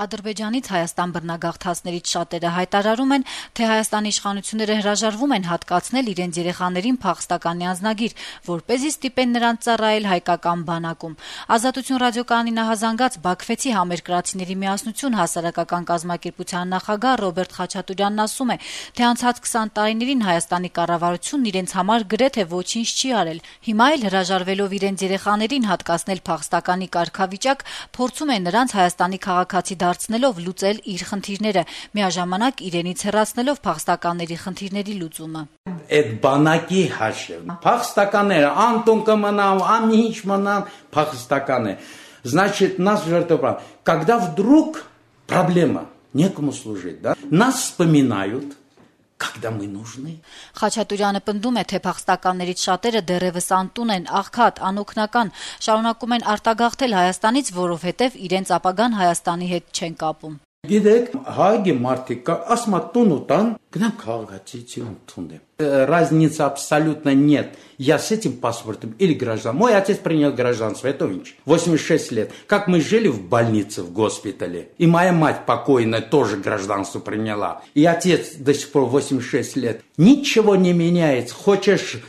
Ադրբեջանից Հայաստան բռնագաղթածներից շատերը հայտարարում են, թե Հայաստանի իշխանությունները հրաժարվում են հատկացնել իրենց երեխաներին փախստականի անձնագիր, որպեսզի ստիպեն նրանց ծառայել հայկական բանակում։ Ազատություն ռադիոկայանի նախազանգած Բաքվեցի համերկրացիների միասնություն հասարակական կազմակերպության նախագահ Ռոբերտ Խաչատուրյանն ասում է, թե անցած 20 տարիներին Հայաստանի կառավարությունն իրենց համար գրեթե ոչինչ չի արել։ Հիմա էլ հրաժարվելով իրենց երեխաներին հատկացնել փախստականի կարգավիճակ, փորձում է նրանց Հայաստանի քաղաքացի դարձնելով լուծել իր խնդիրները, միաժամանակ իրենից հեռացնելով փախստականների խնդիրների լուծումը։ Այդ բանակի հաշիվ փախստականները անտուն կմնան, ամինչ մնան փախստականը։ Значит, нас жертвоприносят. Когда вдруг проблема, некому служить, да? Нас вспоминают. Когда мы нужны. Խաչատուրյանը պնդում է, թե փախստականներից շատերը դեռևս անտուն են, աղքատ, անօգնական, շարունակում են արտագաղթել Հայաստանից, որովհետև իրենց ապագան Հայաստանի հետ չեն կապում։ Գիտեք, հայգի մարդիկ ասում են տուն ու տան, գնամ քաղաքացիություն ընդունեմ։ Разницы абсолютно нет. Я с этим паспортом или граждан. Мой отец принял гражданство, это инч. 86 лет. Как мы жили в больнице, в госпитале. И моя мать покойная тоже гражданство приняла. И отец до сих пор 86 лет. Ничего не меняется. Хочешь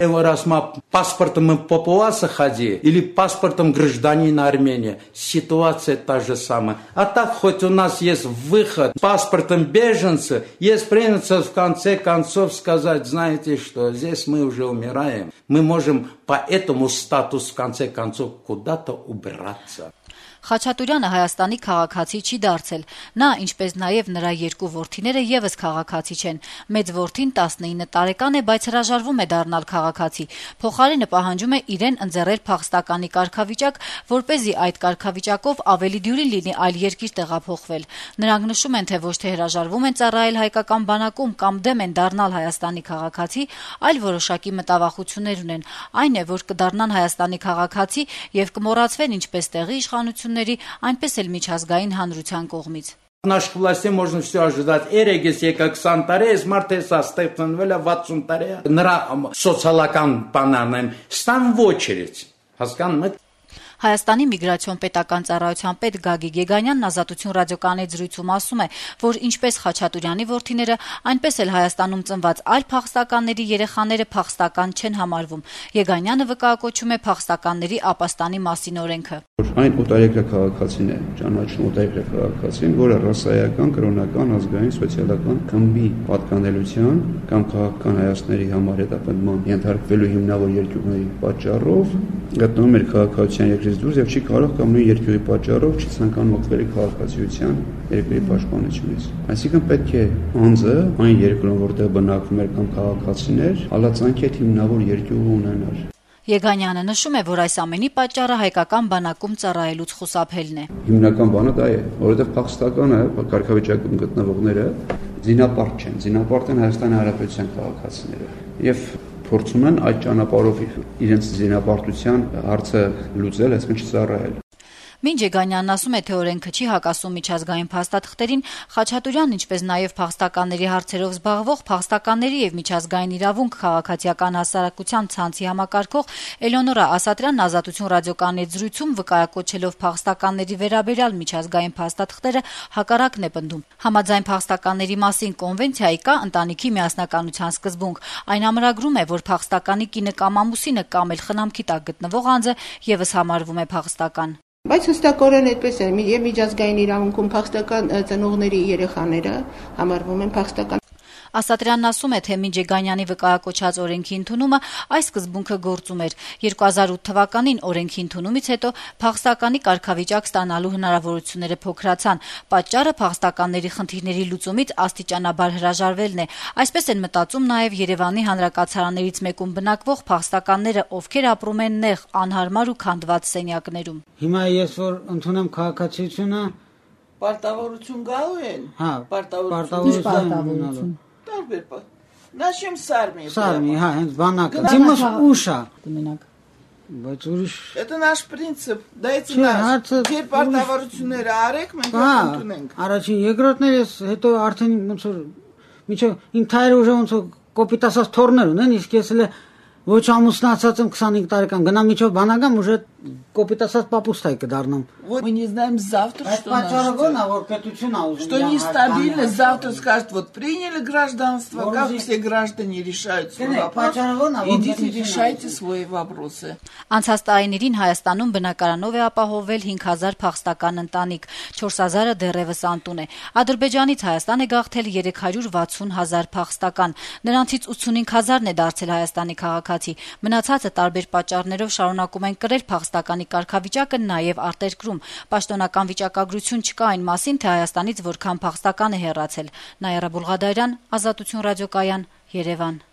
паспортом папуаса ходи или паспортом гражданина Армении. Ситуация та же самая. А так хоть у нас есть выход. Паспортом беженца есть принято в конце концов сказать, знаете что, здесь мы уже умираем. Мы можем по этому статусу в конце концов куда-то убраться. Խաչատուրյանը Հայաստանի քաղաքացի չի դարձել։ Նա, ինչպես նաև նրա երկու որդիները եւս քաղաքացի չեն։ Մեծ որդին 19 տարեկան է, բայց հրաժարվում է դառնալ քաղաքացի։ Փոխարենը պահանջում է իրեն ընձեռել փախստականի կարգավիճակ, որպեսզի այդ կարգավիճակով ավելի դյուրին լինի այլ երկիր տեղափոխվել։ Նրանք նշում են, թե ոչ թե հրաժարվում են ծառայել հայկական բանակում կամ դեմ են դառնալ Հայաստանի քաղաքացի, այլ որոշակի մտավախություններ ունեն։ Այն է, որ կդառնան Հայաստանի քաղաքացի եւ կմոռացվեն ինչպես տեղի իշխանությունները, այնպես էլ միջազգային հանրության կողմից։ Наших властей можно все ожидать. Երեգես եկա 20 տարի, այս մարդը ստեղծվել է 60 տարի։ Նրա սոցիալական բանան են ստան в очередь։ Հասկանում եք։ Հայաստանի միգրացիոն պետական ծառայության պետ Գագիկ Եգանյանն Ազատություն ռադիոկայանի զրույցում ասում է, որ ինչպես Խաչատուրյանի որդիները, այնպես էլ Հայաստանում ծնված այլ փախստականների երեխաները փախստական չեն համարվում։ Եգանյանը վկայակոչում է փախստականների ապաստանի մասին օրենքը։ Այն օտարերկրյա քաղաքացին է, ճանաչում օտարերկրյա քաղաքացին, որը ռասայական, կրոնական, ազգային, սոցիալական խմբի պատկանելիության կամ քաղաքական հայացքների համար հետապնդման ենթարկվելու հիմնավոր երկյուղների պատճառով գտնվում է քաղաքացիության երկրից դուրս եւ չի կարող կամ նույն երկյուղի պատճառով չի ցանկանում օգտվել քաղաքացիության երկրի պաշտպանությունից։ Այսինքն պետք է անձը այն երկրում, որտեղ բնակվում է կամ քաղաքացին է, հալածանքի հետ հիմնավոր երկյուղ ունենալ։ Եգանյանը նշում է, որ այս ամենի պատճառը հայկական բանակում ծառայելուց խուսափելն է։ Հիմնական բանը դա է, որովհետև փախստականը կարգավիճակում գտնվողները զինապարտ չեն, զինապարտ են Հայաստանի Հանրապետության քաղաքացիները եւ փորձում են այդ ճանապարհով իրենց զինապարտության հարցը լուծել, այսինքն չծառայել։ Մինչ Եգանյանն ասում է, թե օրենքը չի հակասում միջազգային փաստաթղթերին, Խաչատուրյանն, ինչպես նաև փախստականների հարցերով զբաղվող փախստականների եւ միջազգային իրավունք քաղաքացիական հասարակության ցանցի համակարգող Էլեոնորա Ասատրյանն Ազատություն ռադիոկայանի զրույցում վկայակոչելով փախստականների վերաբերյալ միջազգային փաստաթղթերը հակառակն է պնդում։ Համաձայն փախստականների մասին կոնվենցիայի կա ընտանիքի միասնականության սկզբունք։ Այն ամրագրում է, որ փախստականի կինը կամ ամուսինը կամ էլ խնամքի տակ գտնվող անձը եւս համարվում է փախստական։ Բայց հստակորեն այդպես է, եւ միջազգային իրավունքում փախստական ծնողների երեխաները համարվում են փախստական։ Ասատրյանն ասում է, թե մինչ Եգանյանի վկայակոչած օրենքի ընդունումը այս սկզբունքը գործում էր։ 2008 թվականին օրենքի ընդունումից հետո փախստականի կարգավիճակ ստանալու հնարավորությունները փոքրացան։ Պատճառը փախստականների խնդիրների լուծումից աստիճանաբար հրաժարվելն է։ Այսպես են մտածում նաև Երևանի հանրակացարաններից մեկում բնակվող փախստականները, ովքեր ապրում են նեղ, անհարմար ու քանդված սենյակներում։ Հիմա ես որ ընդունեմ քաղաքացիությունը, պարտավորություն գալու են։ Հա, պարտավորություն։ Տարբեր Նաշեմ սարմի։ Սարմի, հա, հենց բանակը։ Դիմս ուշա։ Մենակ։ Բայց ուրիշ։ Это наш принцип, դա է նаш։ Երբ պարտավորությունները արեք, մենք ընդունենք։ Առաջին, երկրորդն էս հետո արդեն ոնց որ միջով իմ թայրը ուժը ոնց որ կոպիտ ասած թորներ ունեն, իսկ ես էլ Ոչ ամուսնացած եմ 25 տարեկան, գնամ միջով բանական, уже կոպիտ ասած папустай կդառնամ։ Мы не знаем завтра, что нас что нестабильно, завтра скажут, вот приняли гражданство, как все граждане решают свой вопрос, идите решайте свои вопросы. Անցած տարիներին Հայաստանում բնակարանով է ապահովել 5000 փախստական ընտանիք, 4000-ը դեռևս անտուն է։ Ադրբեջանից Հայաստան է գաղթել 360,000 փախստական, նրանցից 85000-ն է դարձել Հայաստանի քաղաքացի։ Մնացածը տարբեր պատճառներով շարունակում են կրել փախստականի կարգավիճակը նաև արտերկրում։ Պաշտոնական վիճակագրություն չկա այն մասին, թե Հայաստանից որքան փախստական է հեռացել։ Նաիրա Բուլղադարյան, Ազատություն ռադիոկայան, Երևան։